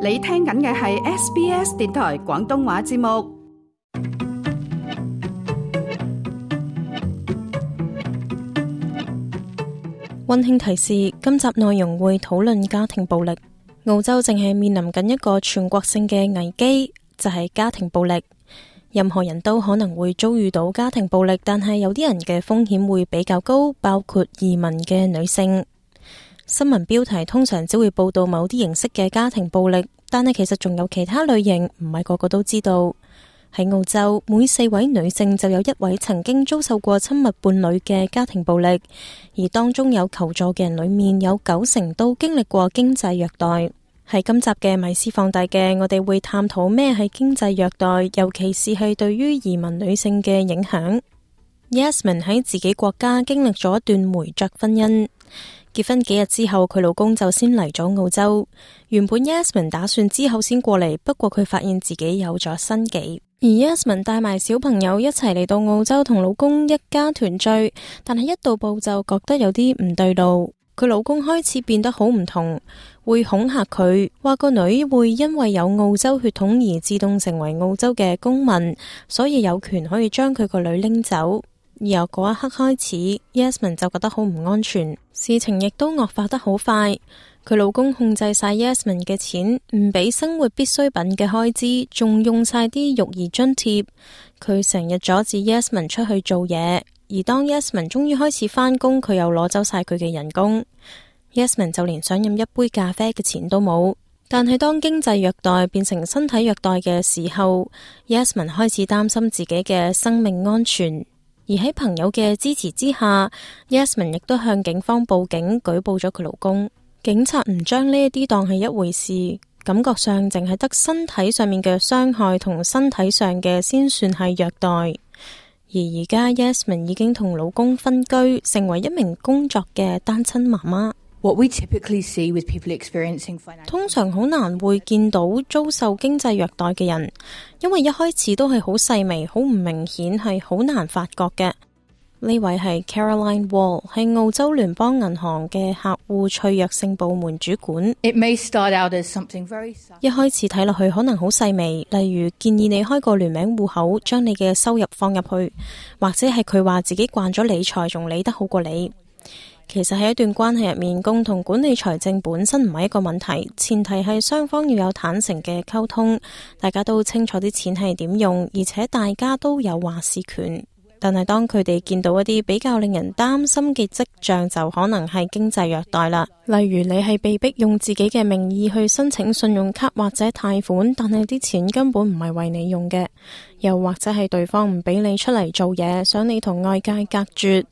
你聽緊嘅係 SBS 電台廣東話節目。溫馨提示：今集內容會討論家庭暴力。澳洲正係面臨緊一個全國性嘅危機，就係家庭暴力。任何人都可能會遭遇到家庭暴力，但係有啲人嘅風險會比較高，包括移民嘅女性。新聞標題通常只會報道某啲形式嘅家庭暴力，但係其實仲有其他類型，唔係個個都知道。喺澳洲，每4位女性就有1位曾經遭受過親密伴侶嘅家庭暴力，而當中有求助嘅人裏面有90%都經歷過經濟虐待。喺今集嘅米斯放大鏡，我哋會探討咩係經濟虐待，尤其是係對於移民女性嘅影響。Yasmin 喺自己國家經歷咗一段梅雀婚姻，結婚幾日之後，佢老公就先嚟咗澳洲。原本 Yasmin 打算之後先過嚟，不過佢發現自己有咗身紀。而 Yasmin 帶埋小朋友一齊嚟到澳洲同老公一家團聚，但係一到埗就覺得有啲唔對路。佢老公開始變得好唔同，會恐嚇佢，話個女會因為有澳洲血統而自動成為澳洲嘅公民，所以有權可以將佢個女拎走。而由嗰一刻開始 Yasmin 就覺得好唔安全，事情亦都惡化得好快。佢老公控制晒 Yasmin 嘅錢，唔俾生活必需品嘅開支，仲用晒啲育兒津貼。佢成日阻止 Yasmin 出去做嘢，而當 Yasmin 終於開始返工，佢又攞走晒佢嘅人工。Yasmin 就連想飲一杯咖啡嘅錢都冇。但係當經濟虐待變成身體虐待嘅時候， Yasmin 開始擔心自己嘅生命安全。而喺朋友嘅支持之下， Yasmin 亦都向警方報警，舉報咗佢老公。警察唔將呢一啲當係一回事，感覺上淨係得身體上面嘅傷害同身體上嘅先算係虐待。而而家 Yasmin 已經同老公分居，成為一名工作嘅單親媽媽。通常好難會見到遭受經濟虐待嘅人，因為一開始都係好細微、好唔明顯，係好難發覺嘅。呢位係 Caroline Wall， 係澳洲聯邦銀行嘅客戶脆弱性部門主管。一開始睇落去可能好細微，例如建議你開個聯名戶口，將你嘅收入放入去，或者係佢話自己慣咗理財，仲理得好過你。其實喺一段關係入面，共同管理財政本身唔係一個問題，前提係雙方要有坦誠嘅溝通，大家都清楚啲錢係點用，而且大家都有話事權。但係當佢哋見到一啲比較令人擔心嘅跡象，就可能係經濟虐待啦。例如你係被逼用自己嘅名義去申請信用卡或者貸款，但係啲錢根本唔係為你用嘅，又或者係對方唔俾你出嚟做嘢，想你同外界隔絕，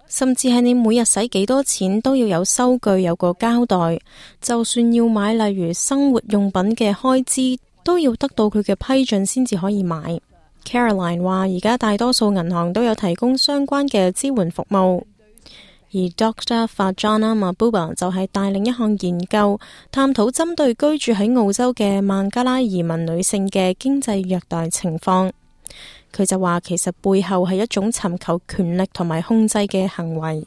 甚至係你每日使幾多錢都要有收據，有個交代。就算要買例如生活用品嘅開支，都要得到佢嘅批准先至可以買。Caroline 話而家大多數銀行都有提供相關嘅支援服務，而 Dr. Farjana Mahbooba 就係帶領一項研究，探討針對居住喺澳洲嘅孟加拉移民女性嘅經濟虐待情況。佢就話其實背後係一種尋求權力同埋控制嘅行為。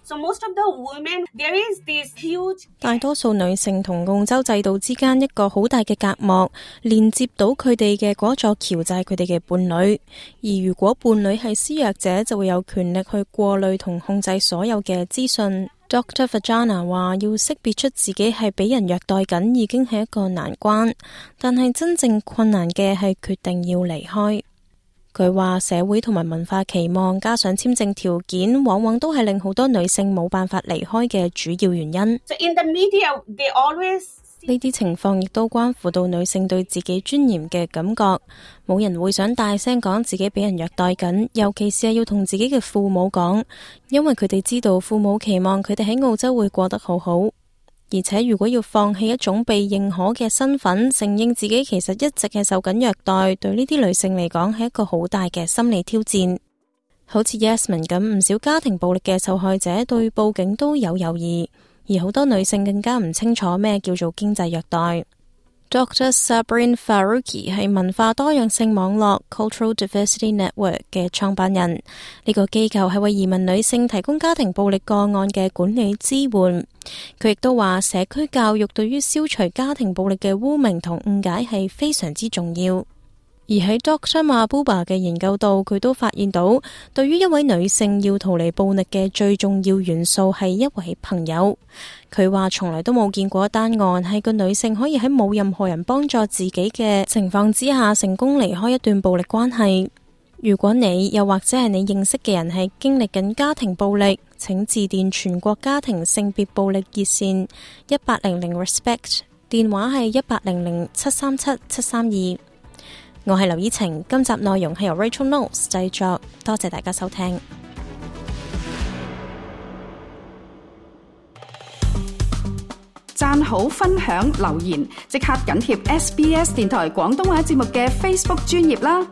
大多數女性同澳洲制度之間一個好大嘅隔膜，連接到佢哋嘅嗰座橋就係佢哋嘅伴侶。而如果伴侶係施虐者，就會有權力去過濾同控制所有嘅資訊。Dr. Farjana 話要識別出自己係俾人虐待緊，已經係一個難關，但係真正困難嘅係決定要離開。佢話社會同埋文化期望加上簽證條件，往往都係令好多女性冇辦法離開嘅主要原因。呢啲情況亦都關乎到女性對自己尊嚴嘅感覺，冇人會想大聲講自己俾人虐待緊，尤其是係要同自己嘅父母講，因為佢哋知道父母期望佢哋喺澳洲會過得好好。而且如果要放棄一種被認可嘅身份，承認自己其實一直係受緊虐待，對呢啲女性嚟講係一個好大嘅心理挑戰。好似 Yasmin 咁，唔少家庭暴力嘅受害者對報警都有猶豫，而好多女性更加唔清楚咩叫做經濟虐待。Dr. Sabrin Faruqi 係文化多樣性網絡 Cultural Diversity Network 嘅創辦人。呢個機構係為移民女性提供家庭暴力個案嘅管理支援。佢亦都話社區教育對於消除家庭暴力嘅污名同誤解係非常之重要。而喺 Dr. Mahbooba 嘅研究度，佢都發現到，對於一位女性要逃離暴力嘅最重要元素係一位朋友。佢話從來都冇見過一單案係個女性可以喺冇任何人幫助自己嘅情況之下成功離開一段暴力關係。如果你又或者係你認識嘅人係經歷緊家庭暴力，請致電全國家庭性別暴力熱線1800 RESPECT， 電話係1800-737-732。我係劉依晴，今集內容係由 Rachel Knowles 製作，多謝大家收聽。讚好、分享、留言，即刻緊貼SBS 電台廣東話節目嘅 Facebook 專頁啦！